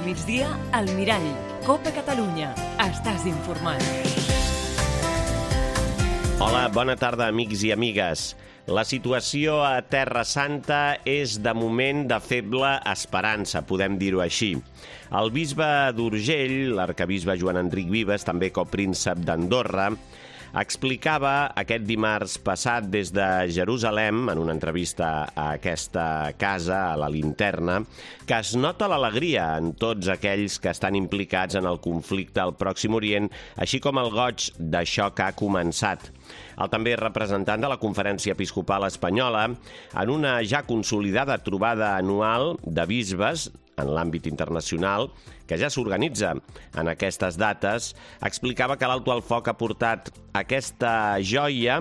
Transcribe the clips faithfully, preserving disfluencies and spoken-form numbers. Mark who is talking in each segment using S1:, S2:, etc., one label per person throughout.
S1: migdia, al Mirall. Copa Catalunya. Estàs informat.
S2: Hola, bona tarda, amics i amigues. La situació a Terra Santa és, de moment, de feble esperança, podem dir-ho així. El bisbe d'Urgell, l'arquebisbe Joan Enric Vives, també copríncep d'Andorra, explicava aquest dimarts passat des de Jerusalem, en una entrevista a aquesta casa, a la Linterna, que es nota l'alegria en tots aquells que estan implicats en el conflicte al Pròxim Orient, així com el goig d'això que ha començat. El també representant de la Conferència Episcopal Espanyola, en una ja consolidada trobada anual de bisbes en l'àmbit internacional, que ja s'organitza en aquestes dates, explicava que l'Alto al Foc ha portat aquesta joia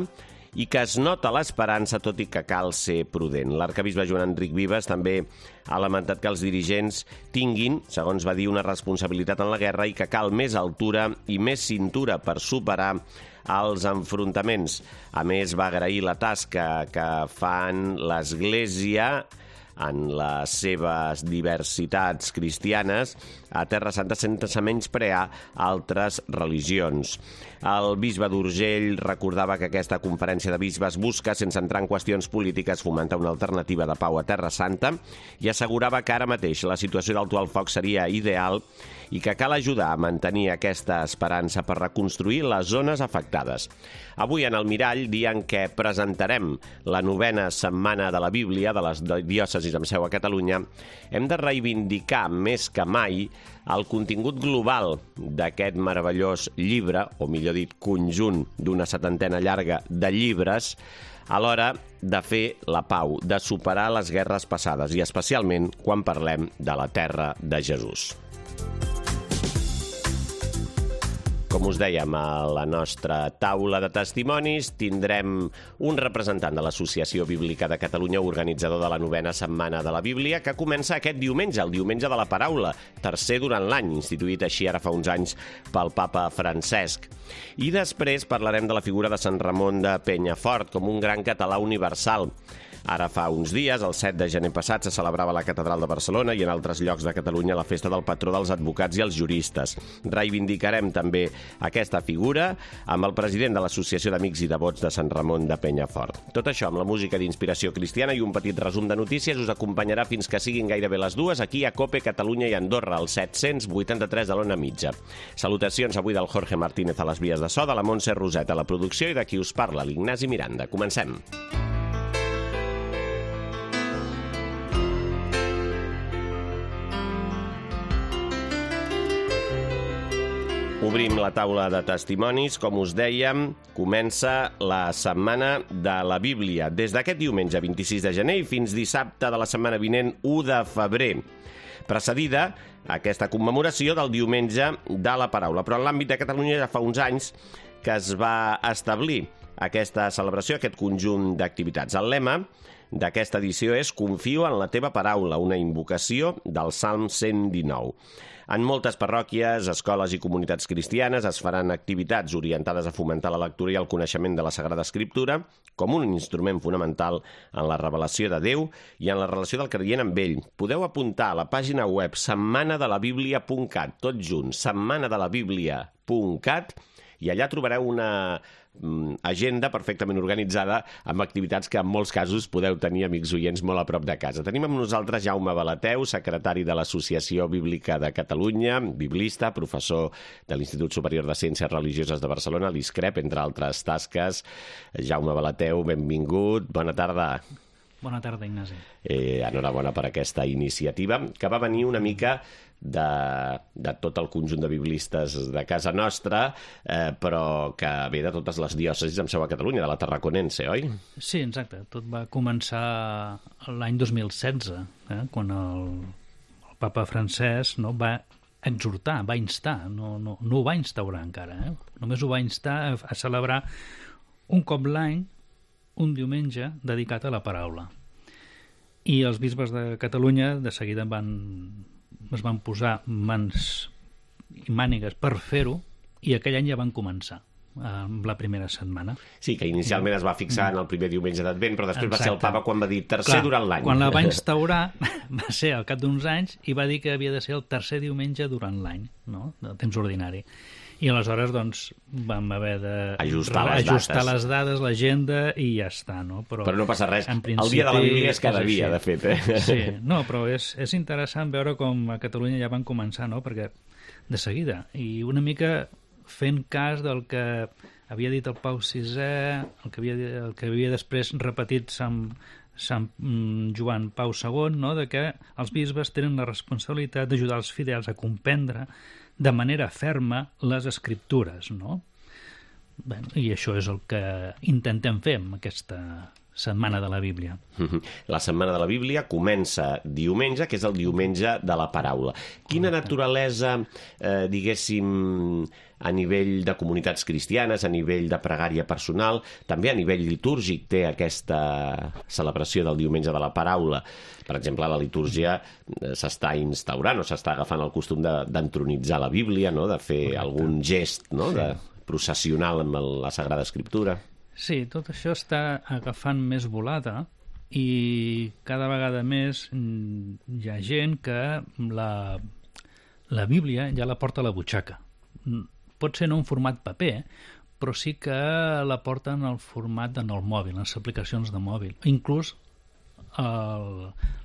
S2: i que es nota l'esperança, tot i que cal ser prudent. L'arquebisbe Joan Enric Vives també ha lamentat que els dirigents tinguin, segons va dir, una responsabilitat en la guerra i que cal més altura i més cintura per superar els enfrontaments. A més, va agrair la tasca que fan l'Església en les seves diversitats cristianes a Terra Santa sense menysprear altres religions. El bisbe d'Urgell recordava que aquesta conferència de bisbes busca, sense entrar en qüestions polítiques, fomentar una alternativa de pau a Terra Santa i assegurava que ara mateix la situació d'alto al foc seria ideal i que cal ajudar a mantenir aquesta esperança per reconstruir les zones afectades. Avui en el Mirall, dia en què presentarem la novena setmana de la Bíblia de les diòcesis amb seu a Catalunya, hem de reivindicar més que mai el contingut global d'aquest meravellós llibre, o millor dit, conjunt d'una setantena llarga de llibres, a l'hora de fer la pau, de superar les guerres passades, i especialment quan parlem de la terra de Jesús. Com us dèiem, a la nostra taula de testimonis tindrem un representant de l'Associació Bíblica de Catalunya, organitzador de la novena setmana de la Bíblia, que comença aquest diumenge, el diumenge de la paraula, tercer durant l'any, instituït així ara fa uns anys pel papa Francesc. I després parlarem de la figura de Sant Ramon de Penyafort com un gran català universal. Ara fa uns dies, el set de gener passat, se celebrava a la Catedral de Barcelona i en altres llocs de Catalunya la festa del patró dels advocats i els juristes. Reivindicarem també aquesta figura amb el president de l'Associació d'Amics i Devots de Sant Ramon de Penyafort. Tot això amb la música d'inspiració cristiana i un petit resum de notícies us acompanyarà fins que siguin gairebé les dues aquí a Cope Catalunya i Andorra, al set-cents vuitanta-tres de l'Ona Mitja. Salutacions avui del Jorge Martínez a les vies de so, de la Montse Roset a la producció i de qui us parla, l'Ignasi Miranda. Comencem. Obrim la taula de testimonis. Com us dèiem, comença la setmana de la Bíblia, des d'aquest diumenge vint-i-sis de gener i fins dissabte de la setmana vinent, u de febrer, precedida aquesta commemoració del diumenge de la paraula. Però en l'àmbit de Catalunya ja fa uns anys que es va establir aquesta celebració, aquest conjunt d'activitats. El lema d'aquesta edició és «Confio en la teva paraula», una invocació del Salm cent dinou. En moltes parròquies, escoles i comunitats cristianes es faran activitats orientades a fomentar la lectura i el coneixement de la Sagrada Escriptura com un instrument fonamental en la revelació de Déu i en la relació del creient amb ell. Podeu apuntar a la pàgina web setmana de la bíblia punt cat, tot junt, setmana de la bíblia punt cat, i allà trobareu una agenda perfectament organitzada amb activitats que en molts casos podeu tenir, amics oients, molt a prop de casa. Tenim amb nosaltres Jaume Balateu, secretari de l'Associació Bíblica de Catalunya, biblista, professor de l'Institut Superior de Ciències Religioses de Barcelona, l'ISCREP, entre altres tasques. Jaume Balateu, benvingut, bona tarda.
S3: Bona tarda, Ignasi.
S2: Eh, enhorabona per aquesta iniciativa, que va venir una mica de, de tot el conjunt de biblistes de casa nostra, eh, però que ve de totes les diòcesis amb seu a Catalunya, de la Tarraconense, oi?
S3: Sí, exacte. Tot va començar l'any dos mil setze, eh, quan el, el papa Francesc no, va exhortar, va instar, no, no, no ho va instaurar encara, eh? Només ho va instar a, a celebrar un cop l'any, un diumenge dedicat a la paraula. I els bisbes de Catalunya de seguida van, es van posar mans i mànigues per fer-ho, i aquell any ja van començar. amb la primera setmana.
S2: Sí, que inicialment es va fixar en el primer diumenge d'Advent, però després
S3: Exacte.
S2: va ser el papa quan va dir tercer
S3: Clar,
S2: durant l'any.
S3: Quan la va instaurar va ser al cap d'uns anys i va dir que havia de ser el tercer diumenge durant l'any, no? De temps ordinari. I aleshores, doncs, vam haver de
S2: Ajustar les
S3: ajustar
S2: dates.
S3: les dades, l'agenda, i ja està, no? Però,
S2: Però no passa res.
S3: en
S2: El dia de la Bíblia és cada
S3: és
S2: dia,
S3: així.
S2: de fet. Eh?
S3: Sí, no, però és, és interessant veure com a Catalunya ja van començar, no? Perquè de seguida, i una mica fent cas del que havia dit el Pau sisè, el que havia, el que havia després repetit Sant, Sant Joan Pau segon, no? De que els bisbes tenen la responsabilitat d'ajudar els fidels a comprendre de manera ferma les escriptures, no? Bé, i això és el que intentem fer amb aquesta Setmana de la Bíblia.
S2: La Setmana de la Bíblia comença diumenge, que és el diumenge de la paraula. Quina naturalesa, eh, diguéssim, a nivell de comunitats cristianes, a nivell de pregària personal, també a nivell litúrgic té aquesta celebració del diumenge de la paraula? Per exemple, la litúrgia s'està instaurant o s'està agafant el costum d'entronitzar la Bíblia, no? De fer Correcte. algun gest, no? Sí. De processional amb la Sagrada Escriptura.
S3: Sí, tot això està agafant més volada i cada vegada més hi ha gent que la, la Bíblia ja la porta a la butxaca. Pot ser no en format paper, però sí que la porta en el format en el mòbil, en les aplicacions de mòbil. Inclús el,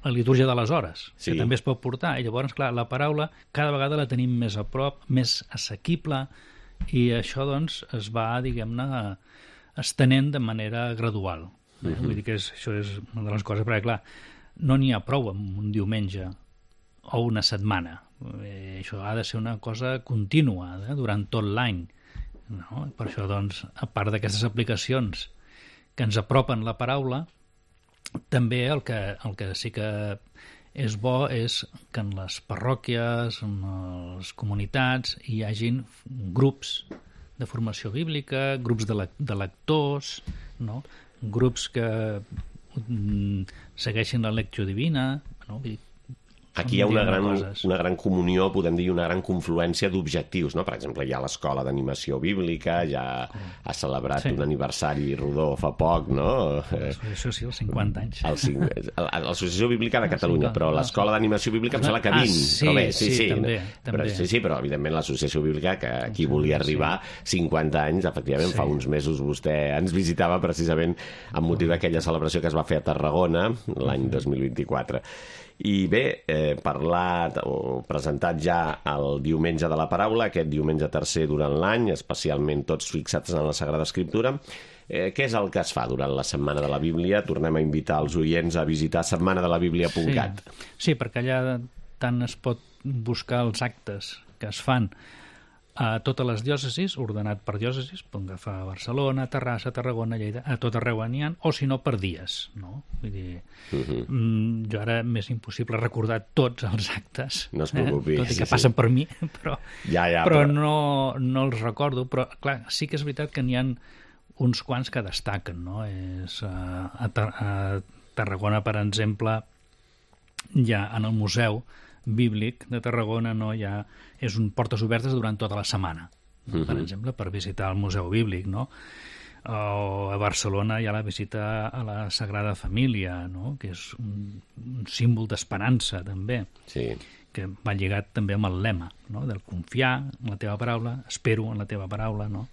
S3: la litúrgia de les hores, sí. que també es pot portar. I llavors, clar, la paraula cada vegada la tenim més a prop, més assequible, i això, doncs, es va, diguem-ne, estenent de manera gradual. Eh? Uh-huh. Vull dir que és, això és una de les coses, perquè, clar, no n'hi ha prou amb un diumenge o una setmana. Eh, això ha de ser una cosa contínua, eh? Durant tot l'any. No? Per això, doncs, a part d'aquestes aplicacions que ens apropen la paraula, també el que, el que sí que és bo és que en les parròquies, en les comunitats, hi hagin grups de formació bíblica, grups de, le de lectors, no? Grups que mm, segueixin la lecció divina, no? Vull dir,
S2: aquí hi ha una gran, una gran comunió, podem dir, una gran confluència d'objectius, no? Per exemple, hi ha l'Escola d'Animació Bíblica, ja ha celebrat sí. un aniversari rodó fa poc, no?
S3: Això sí, els cinquanta anys.
S2: L'Associació Bíblica de Catalunya, però l'Escola d'Animació Bíblica em sembla que vint.
S3: Ah, sí,
S2: però bé, sí,
S3: sí,
S2: sí,
S3: també.
S2: Però, sí, sí, però evidentment l'Associació Bíblica, que aquí volia arribar, cinquanta anys, efectivament, sí. fa uns mesos vostè ens visitava precisament amb motiu d'aquella celebració que es va fer a Tarragona l'any dos mil vint-i-quatre. I bé, eh, parlat o presentat ja el diumenge de la paraula, aquest diumenge tercer durant l'any, especialment tots fixats en la Sagrada Escriptura. Eh, què és el que es fa durant la Setmana de la Bíblia? Tornem a invitar els oients a visitar setmana de la bíblia punt cat.
S3: Sí. sí, perquè allà tant es pot buscar els actes que es fan a totes les diòcesis, ordenat per diòcesis, pot agafar a Barcelona, Terrassa, Tarragona, Lleida, a tot arreu n'hi ha, o si no per dies, no? Vull dir, uh-huh. mm, jo ara m'és impossible recordar tots els actes,
S2: no es preocupi,
S3: eh? tot i que
S2: sí,
S3: passen
S2: sí.
S3: per mi, però,
S2: ja, ja,
S3: però,
S2: però...
S3: No, no els recordo, però clar, sí que és veritat que n'hi ha uns quants que destaquen, no? És, uh, a, Tar a Tarragona, per exemple, ja en el museu bíblic de Tarragona, no, ja és un portes obertes durant tota la setmana, no? Uh-huh. Per exemple, per visitar el Museu Bíblic, no? O a Barcelona hi ha la visita a la Sagrada Família, no? Que és un, un símbol d'esperança, també,
S2: sí.
S3: que va lligat també amb el lema, no? Del confiar en la teva paraula, espero en la teva paraula, no?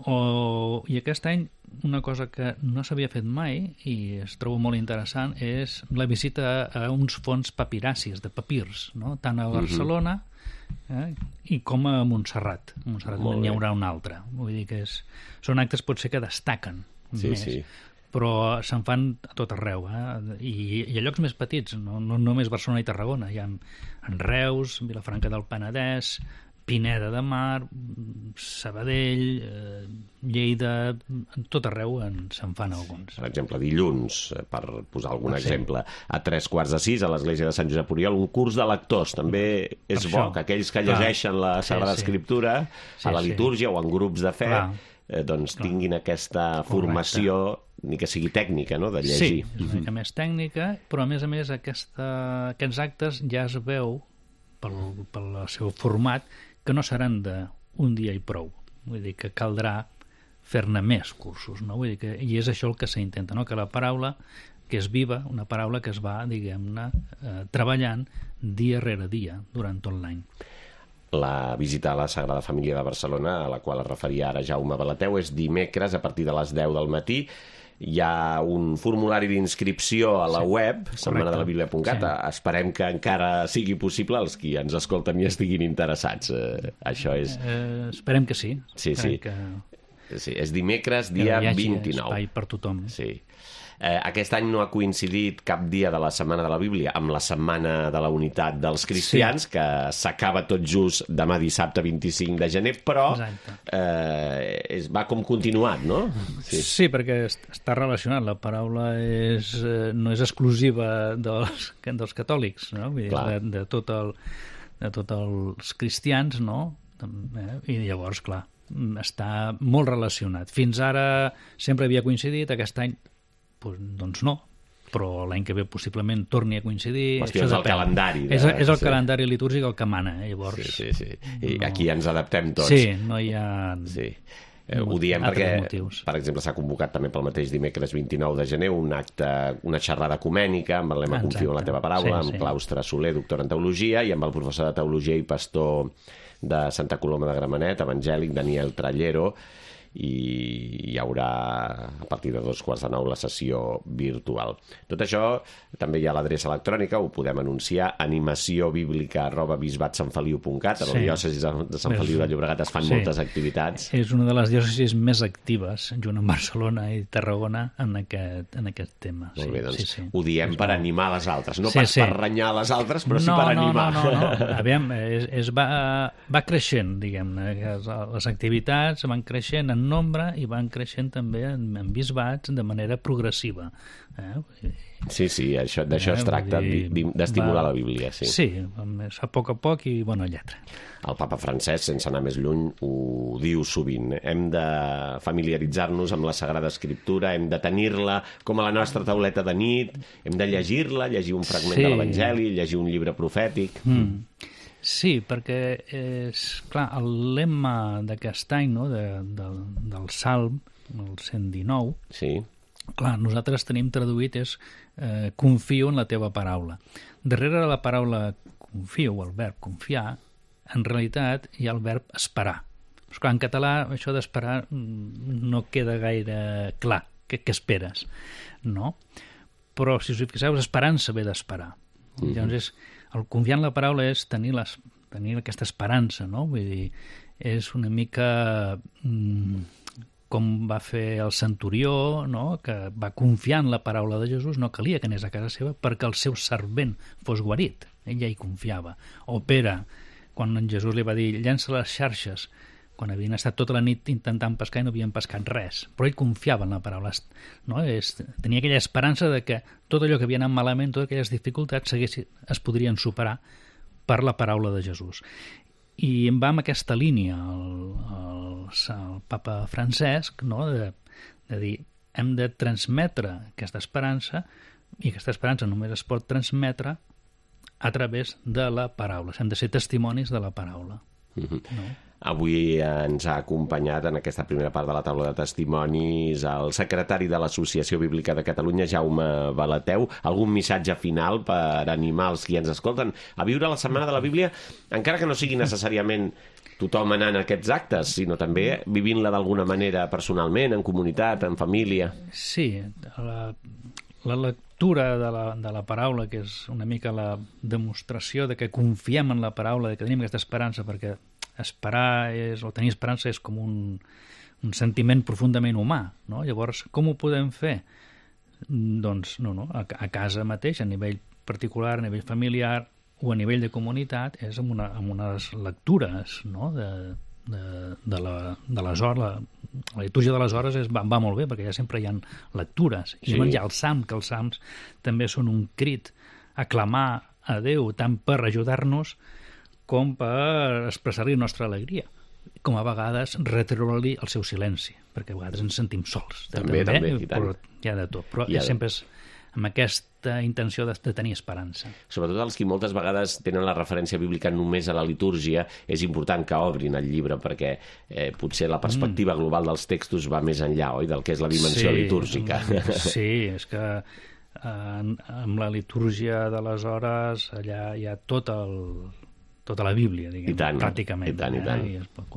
S3: O, i aquest any una cosa que no s'havia fet mai i es trobo molt interessant és la visita a uns fons papiracis, de papirs, no? Tant a Barcelona eh, i com a Montserrat. A Montserrat n'hi haurà un altre. Vull dir que és, són actes potser que destaquen
S2: sí,
S3: més,
S2: sí.
S3: però se'n fan a tot arreu, eh? I, i a llocs més petits, no, no només Barcelona i Tarragona, hi ha en Reus, Vilafranca del Penedès, Pineda de Mar, Sabadell, eh, Lleida, tot arreu se'n fan alguns.
S2: Per exemple, dilluns, per posar algun
S3: ah, sí.
S2: exemple, a tres quarts de sis a l'església de Sant Josep Oriol, un curs de lectors. També és bo que aquells que llegeixen la Sagrada sí, sí. Escriptura sí, a la litúrgia sí. o en grups de fe eh, doncs Clar. tinguin aquesta formació, Correcte. ni que sigui tècnica, no?, de llegir.
S3: Sí, és una mica més tècnica, però a més a més aquesta, aquests actes ja es veu pel, pel seu format que no seran d'un dia i prou, Vull dir que caldrà fer-ne més cursos, no? Vull dir que, i és això el que s'intenta, no? Que la paraula que és viva, una paraula que es va, diguem-ne, eh, treballant dia rere dia durant tot l'any.
S2: La visita a la Sagrada Família de Barcelona, a la qual es referia ara Jaume Balateu, és dimecres a partir de les deu del matí. Hi ha un formulari d'inscripció a la sí, web, setmana de la bíblia punt cat. Sí. Esperem que encara sigui possible els qui ens escolten i estiguin interessats. Eh, això és...
S3: Eh, esperem que sí.
S2: Sí,
S3: esperem
S2: sí.
S3: Que...
S2: sí. És dimecres, dia vint-i-nou.
S3: Espai per tothom.
S2: Sí. Eh, aquest any no ha coincidit cap dia de la Setmana de la Bíblia amb la Setmana de la Unitat dels Cristians, sí. que s'acaba tot just demà dissabte vint-i-cinc de gener, però eh, és, va com continuat, no?
S3: Sí, sí, perquè està relacionat. La paraula és, eh, no és exclusiva dels, dels catòlics, no? Vull dir, de, de, tot el, de tots els cristians, no? Eh? I llavors, clar, està molt relacionat. Fins ara sempre havia coincidit, aquest any pues, doncs no, però l'any que ve possiblement torni a coincidir.
S2: Hòstia, és el calendari. De...
S3: És, és el sí. calendari litúrgic el que mana, eh? Llavors...
S2: Sí, sí, sí. I no... aquí ens adaptem tots.
S3: Sí, no hi ha...
S2: Sí. Eh, ho diem perquè, motius. Per exemple, s'ha convocat també pel mateix dimecres vint-i-nou de gener un acte, una xerrada ecumènica amb el lema Exacte. Confio en la teva paraula, sí, amb sí. Claustre Soler, doctor en Teologia, i amb el professor de Teologia i pastor de Santa Coloma de Gramenet, evangèlic, Daniel Trallero, i hi haurà a partir de dos quarts de nou la sessió virtual. Tot això també hi ha l'adreça electrònica, ho podem anunciar, animaciobíblica arroba bisbatsantfeliu punt cat. A la sí. diòcesi de Sant Feliu de Llobregat es fan sí. moltes activitats.
S3: És una de les diòcesis més actives, junt amb Barcelona i Tarragona, en aquest, en aquest tema.
S2: Molt
S3: sí,
S2: bé, doncs
S3: sí, sí.
S2: ho diem és per molt... animar les altres, no
S3: sí,
S2: pas
S3: sí.
S2: per renyar les altres, però
S3: no,
S2: sí per
S3: no,
S2: animar.
S3: No, no, no, no. Aviam, és, és va, va creixent, diguem-ne, les activitats van creixent en nombre i van creixent també en, en bisbats de manera progressiva. Eh?
S2: Sí, sí, això, d'això eh? es tracta, d'estimular va... la Bíblia. Sí,
S3: sí, a poc a poc i bona lletra.
S2: El papa Francesc, sense anar més lluny, ho diu sovint. Hem de familiaritzar-nos amb la Sagrada Escriptura, hem de tenir-la com a la nostra tauleta de nit, hem de llegir-la, llegir un fragment sí. de l'Evangeli, llegir un llibre profètic...
S3: Mm. Sí, perquè és, clar, el lema d'aquest any, no, de, de, del Salm, el cent dinou,
S2: sí.
S3: clar, nosaltres tenim traduït és eh, confio en la teva paraula. Darrere de la paraula confio, o el verb confiar, en realitat hi ha el verb esperar. Però, clar, en català això d'esperar no queda gaire clar. Què, què esperes? No? Però, si us fixeu, esperança ve d'esperar. Mm-hmm. Llavors, és, el confiar en la paraula és tenir, les, tenir aquesta esperança, no? Vull dir, és una mica mm, com va fer el centurió, no? Que va confiar en la paraula de Jesús, no calia que anés a casa seva perquè el seu servent fos guarit. Ell ja hi confiava. O Pere, quan en Jesús li va dir llença les xarxes, quan havien estat tota la nit intentant pescar i no havien pescat res, però ell confiava en la paraula, no? És, tenia aquella esperança de que tot allò que havia anat malament, totes aquelles dificultats es podrien superar per la paraula de Jesús. I em va amb aquesta línia el, el, el papa Francesc, no? de, de dir, hem de transmetre aquesta esperança, i aquesta esperança només es pot transmetre a través de la paraula. Hem de ser testimonis de la paraula.
S2: Mm-hmm.
S3: No?
S2: Avui ens ha acompanyat en aquesta primera part de la taula de testimonis el secretari de l'Associació Bíblica de Catalunya, Jaume Balateu. Algun missatge final per animar els qui ens escolten a viure la Setmana de la Bíblia, encara que no sigui necessàriament tothom anant a aquests actes, sinó també vivint-la d'alguna manera personalment, en comunitat, en família?
S3: Sí, la, la lectura de la, de la paraula, que és una mica la demostració de que confiem en la paraula, de que tenim aquesta esperança, perquè esperar és, o tenir esperança és com un, un sentiment profundament humà, no? Llavors, com ho podem fer? Doncs, no, no, a, a casa mateix, a nivell particular, a nivell familiar o a nivell de comunitat, és amb, una, amb unes lectures, no? de, de, de, la, de les hores, la, la litúrgia de les hores és, va, va molt bé, perquè ja sempre hi ha lectures. I sí. Hi ha el Salm, que els Salms també són un crit a clamar a Déu, tant per ajudar-nos com per expressar-li la nostra alegria, com a vegades retreure-li el seu silenci, perquè a vegades ens sentim sols.
S2: També, també, també
S3: i tant. Però hi ha de tot, però
S2: ha de...
S3: sempre és amb aquesta intenció de, de tenir esperança.
S2: Sobretot els que moltes vegades tenen la referència bíblica només a la litúrgia, és important que obrin el llibre perquè eh, potser la perspectiva mm. global dels textos va més enllà, oi?, del que és la dimensió
S3: sí,
S2: litúrgica.
S3: Sí, és que eh, amb la litúrgia d'aleshores allà hi ha tot el, tota la Bíblia, diguem,
S2: I tant,
S3: pràcticament.
S2: I tant, i tant.
S3: Eh? I es pot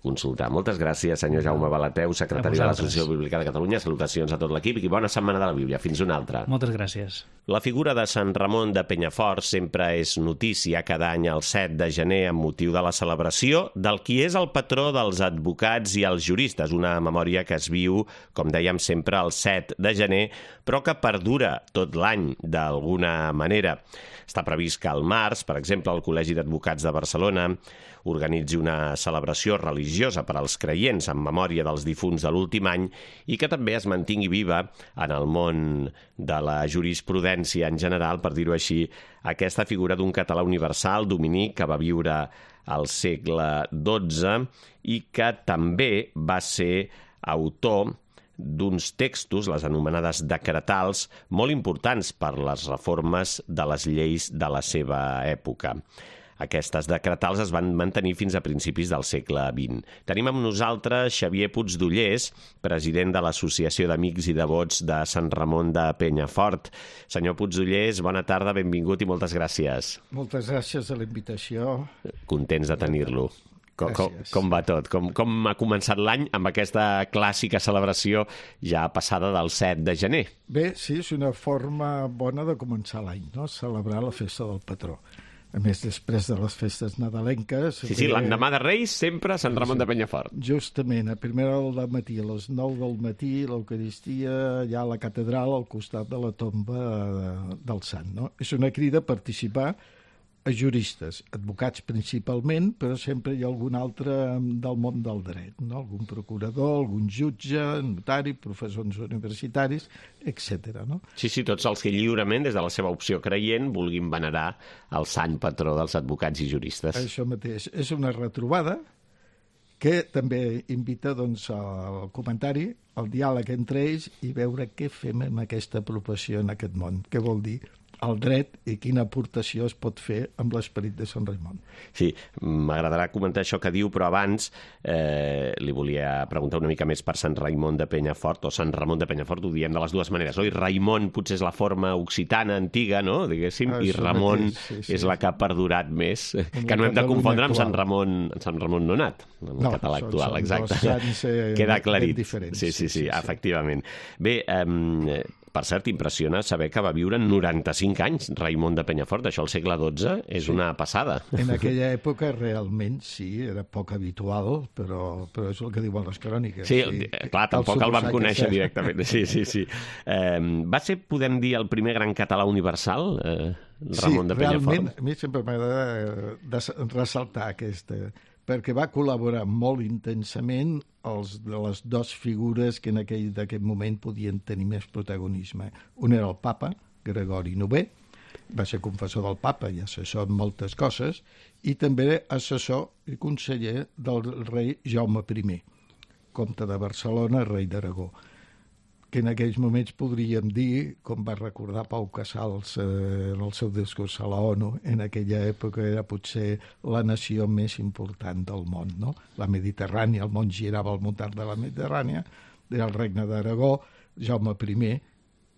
S2: consultar. Moltes gràcies, senyor Jaume Balateu, secretari de l'Associació Bíblica de Catalunya. Salutacions a tot l'equip i bona setmana de la Bíblia. Fins una altra.
S3: Moltes gràcies.
S2: La figura de Sant Ramon de Penyafort sempre és notícia cada any el set de gener amb motiu de la celebració del qui és el patró dels advocats i els juristes, una memòria que es viu, com dèiem sempre, el set de gener, però que perdura tot l'any d'alguna manera. Està previst que al març, per exemple, el Col·legi d'Advocats de Barcelona organitzi una celebració religiosa per als creients en memòria dels difunts de l'últim any i que també es mantingui viva en el món de la jurisprudència en general, per dir-ho així, aquesta figura d'un català universal, dominic, que va viure al segle dotze i que també va ser autor d'uns textos, les anomenades decretals, molt importants per les reformes de les lleis de la seva època. Aquestes decretals es van mantenir fins a principis del segle vint. Tenim amb nosaltres Xavier Puigdollers, president de l'Associació d'Amics i Devots de Sant Ramon de Penyafort. Senyor Puigdollers, bona tarda, benvingut i moltes gràcies.
S4: Moltes gràcies a la invitació.
S2: Contents de tenir-lo. Com, com, com va tot? Com, com ha començat l'any amb aquesta clàssica celebració ja passada del set de gener?
S4: Bé, sí, és una forma bona de començar l'any, no? Celebrar la festa del patró. A més, després de les festes nadalenques...
S2: Sí, sí, l'endemà de Reis, sempre a Sant Ramon de Penyafort.
S4: Justament, a primera hora del matí, a les nou del matí, l'Eucaristia, allà a la catedral, al costat de la tomba del sant, no? És una crida a participar a juristes, advocats principalment, però sempre hi ha algun altre del món del dret, no? Algun procurador, algun jutge, notari, professors universitaris, etcètera. No?
S2: Sí, sí, tots els que lliurement, des de la seva opció creient, vulguin venerar el sant patró dels advocats i juristes.
S4: Això mateix. És una retrobada que també invita doncs, al comentari, al diàleg entre ells i veure què fem amb aquesta apropiació en aquest món. Què vol dir el dret i quina aportació es pot fer amb l'esperit de Sant Raimon.
S2: Sí, m'agradarà comentar això que diu, però abans eh, li volia preguntar una mica més per Sant Raimon de Penyafort, o Sant Ramon de Penyafort, ho diem de les dues maneres, oi? Raimon potser és la forma occitana antiga, no?, diguéssim, ah, i Ramon mateix, sí, sí, és la que ha perdurat més, en que no hem de confondre amb Sant Ramon, Sant Ramon Nonat, en el no, català actual, són, són exacte. Sants, eh, queda aclarit.
S4: Diferents,
S2: sí, sí, sí, sí, sí, efectivament. Bé, eh, per cert, impressiona saber que va viure noranta-cinc anys Raimon de Penyafort. Això al segle dotze és sí. una passada.
S4: En aquella època realment sí, era poc habitual, però, però és el que diuen les cròniques.
S2: Sí, sí. clar, tampoc el, el vam conèixer que... directament. Sí, sí, sí. Eh, va ser, podem dir, el primer gran català universal, eh, Ramon
S4: sí,
S2: de Penyafort?
S4: Sí, realment, a mi sempre m'agrada ressaltar aquesta... perquè va col·laborar molt intensament els de les dues figures que en aquell d'aquest moment podien tenir més protagonisme. Un era el papa, Gregori novè, va ser confessor del papa i assessor en moltes coses, i també era assessor i conseller del rei Jaume primer, comte de Barcelona, rei d'Aragó, que en aquells moments podríem dir, com va recordar Pau Casals eh, en el seu discurs a la ONU, en aquella època era potser la nació més important del món, no? La Mediterrània, el món girava al voltant de la Mediterrània, era el regne d'Aragó, Jaume primer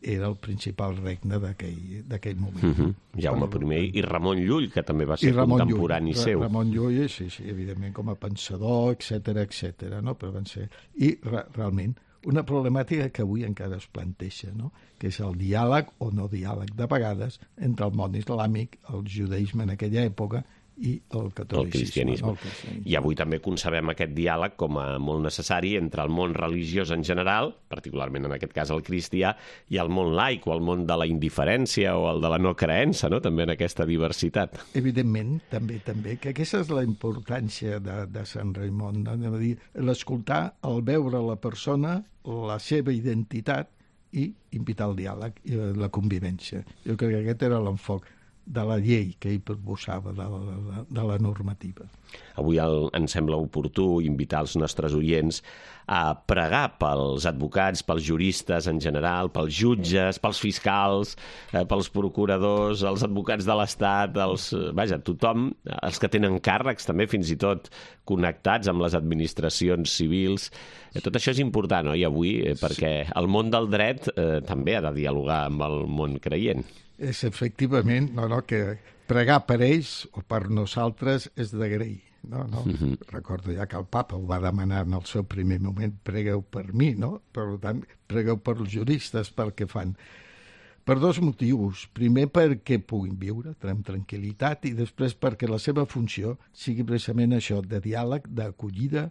S4: era el principal regne d'aquell moment.
S2: Mm-hmm. Jaume primer i Ramon Llull, que també va ser contemporani
S4: Llull,
S2: seu.
S4: Ramon Llull, sí, sí, evidentment, com a pensador, etcètera, etcètera, no? Però van ser... I re realment una problemàtica que avui encara es planteja, no? Que és el diàleg o no diàleg de vegades entre el món islàmic, el judaïsme en aquella època i el catolicisme.
S2: El cristianisme.
S4: El cristianisme.
S2: I avui també concebem aquest diàleg com a molt necessari entre el món religiós en general, particularment en aquest cas el cristià, i el món laic, o el món de la indiferència o el de la no creença, no? També en aquesta diversitat.
S4: Evidentment, també, també, que aquesta és la importància de, de Sant Raimon, no? Anem a dir, l'escoltar, el veure la persona, la seva identitat i invitar al diàleg i la convivència. Jo crec que aquest era l'enfoc. de la llei que ell proposava, de la, de la normativa.
S2: Avui el, ens sembla oportú invitar els nostres oients a pregar pels advocats, pels juristes en general, pels jutges, pels fiscals, eh, pels procuradors, els advocats de l'Estat, els, vaja, tothom, els que tenen càrrecs també, fins i tot connectats amb les administracions civils. Eh, tot això és important, oi, avui, eh, perquè el món del dret eh, també ha de dialogar amb el món creient.
S4: És efectivament, no, no, que pregar per ells o per nosaltres és d'agrair. No, no. Uh-huh. Recordo ja que el papa ho va demanar en el seu primer moment, pregueu per mi, no? Per tant, pregueu per els juristes pel que fan. Per dos motius. Primer, perquè puguin viure amb tranquil·litat, i després perquè la seva funció sigui precisament això, de diàleg, d'acollida,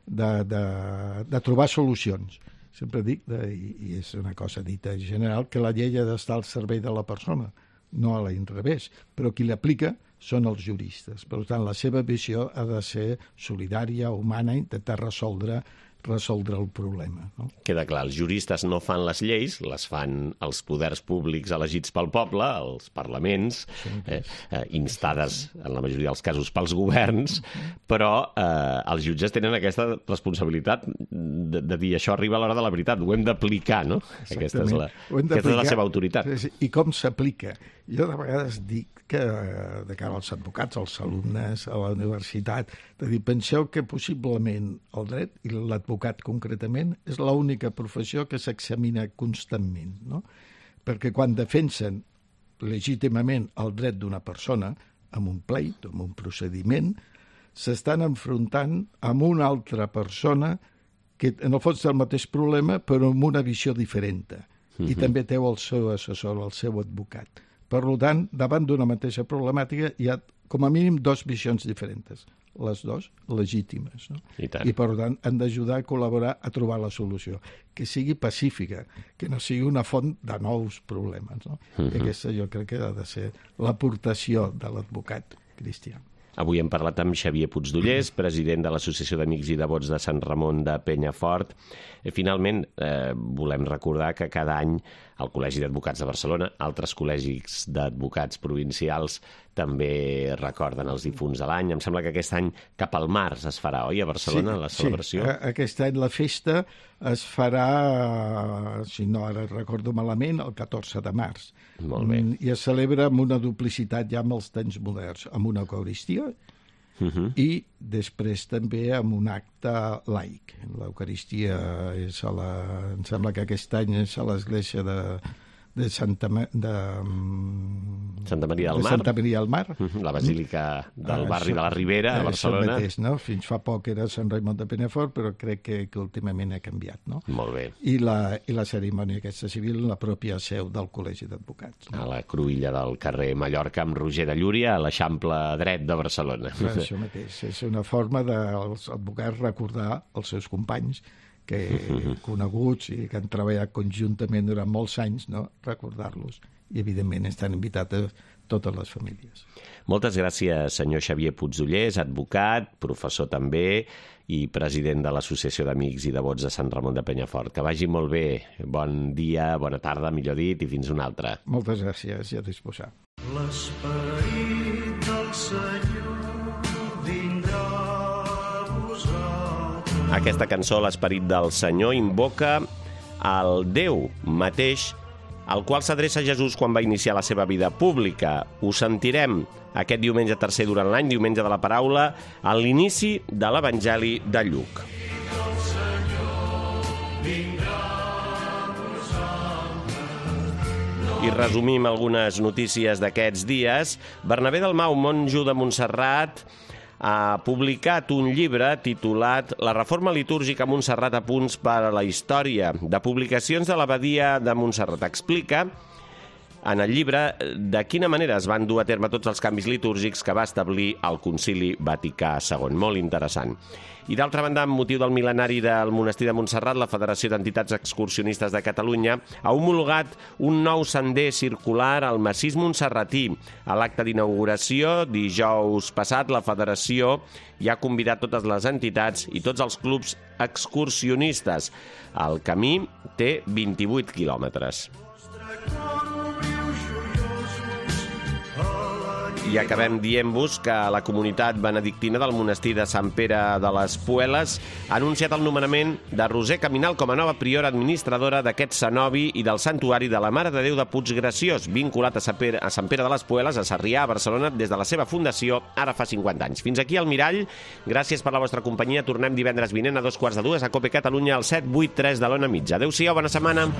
S4: de, de, de trobar solucions. Sempre dic, de, i, i és una cosa dita en general, que la llei ha d'estar al servei de la persona, no a l'inrevés, però qui l'aplica són els juristes. Per tant, la seva visió ha de ser solidària, humana, intentar resoldre resoldre el problema. No?
S2: Queda clar, els juristes no fan les lleis, les fan els poders públics elegits pel poble, els parlaments, eh, eh, instades en la majoria dels casos pels governs, però eh, els jutges tenen aquesta responsabilitat de, de dir això arriba a l'hora de la veritat, ho hem d'aplicar, no? Aquesta és, la, aquesta és la seva autoritat.
S4: I com s'aplica? Jo de vegades dic que de cara als advocats, als alumnes, a la universitat, de dir, penseu que possiblement el dret, i l'advocat concretament, és l'única professió que s'examina constantment, no? Perquè quan defensen legítimament el dret d'una persona, amb un pleit, amb un procediment, s'estan enfrontant amb una altra persona que en el fons té el mateix problema, però amb una visió diferent. I uh-huh. també té el seu assessor, el seu advocat. Per tant, davant d'una mateixa problemàtica hi ha com a mínim dues visions diferents, les dues legítimes. No?
S2: I,
S4: I per tant, han d'ajudar a col·laborar a trobar la solució, que sigui pacífica, que no sigui una font de nous problemes. No? Uh-huh. I aquesta jo crec que ha de ser l'aportació de l'advocat cristià.
S2: Avui hem parlat amb Xavier Puigdollers, president de l'Associació d'Amics i Devots de Sant Ramon de Penyafort. I finalment, eh, volem recordar que cada any el Col·legi d'Advocats de Barcelona, altres col·legis d'advocats provincials també recorden els difunts de l'any. Em sembla que aquest any cap al març es farà, oi, a Barcelona, sí, la celebració?
S4: Sí, aquest any la festa es farà, si no ara recordo malament, el catorze de març.
S2: Molt bé.
S4: I es celebra amb una duplicitat ja amb els temps moderns, amb una eucaristia, Uh-huh. i després també amb un acte laic. L'Eucaristia és a la... em sembla que aquest any és a l'església de, de Santa, de,
S2: Santa Maria del
S4: de
S2: Mar.
S4: Santa Maria del Mar.
S2: Uh-huh. La Basílica del ah, barri de la Ribera, a Barcelona.
S4: Mateix, no? Fins fa poc era Sant Raimon de Penyafort, però crec que, que últimament ha canviat. No?
S2: Molt bé.
S4: I la, i la cerimònia aquesta civil en la pròpia seu del Col·legi d'Advocats. No?
S2: A la cruïlla del carrer Mallorca amb Roger de Llúria, a l'Eixample dret de Barcelona.
S4: Però això mateix. És una forma dels advocats recordar els seus companys que coneguts i que han treballat conjuntament durant molts anys, no? Recordar-los. I, evidentment, estan invitats a totes les famílies.
S2: Moltes gràcies, senyor Xavier Puigdollers, advocat, professor també, i president de l'Associació d'Amics i Devots de Sant Ramon de Penyafort. Que vagi molt bé. Bon dia, bona tarda, millor dit, i fins una altra.
S4: Moltes gràcies i a disposar.
S5: L'esperit del Senyor vindrà a vosaltres.
S2: Aquesta cançó, l'Esperit del Senyor, invoca el Déu mateix, al qual s'adreça Jesús quan va iniciar la seva vida pública. Ho sentirem aquest diumenge tercer durant l'any, diumenge de la paraula, a l'inici de l'Evangeli de Lluc. I resumim algunes notícies d'aquests dies. Bernabé Dalmau, monjo de Montserrat, ha publicat un llibre titulat La reforma litúrgica a Montserrat a punts per a la història, de publicacions de l'Abadia de Montserrat. Explica en el llibre de quina manera es van dur a terme tots els canvis litúrgics que va establir el Concili Vaticà segon. Molt interessant. I d'altra banda, amb motiu del mil·lenari del monestir de Montserrat, la Federació d'Entitats Excursionistes de Catalunya ha homologat un nou sender circular al massís montserratí. A l'acte d'inauguració, dijous passat, la Federació ja ha convidat totes les entitats i tots els clubs excursionistes. El camí té vint-i-vuit quilòmetres.
S5: Nostre cor obriu joiosos,
S2: I acabem dient-vos que la comunitat benedictina del monestir de Sant Pere de les Pueles ha anunciat el nomenament de Roser Caminal com a nova priora administradora d'aquest cenobi i del santuari de la Mare de Déu de Puiggraciós, vinculat a Sant Pere, a Sant Pere de les Pueles, a Sarrià, a Barcelona, des de la seva fundació ara fa cinquanta anys. Fins aquí el Mirall. Gràcies per la vostra companyia. Tornem divendres vinent a dos quarts de dues a Cope Catalunya al set vuit tres de l'Ona Mitja. Adéu-siau, bona setmana.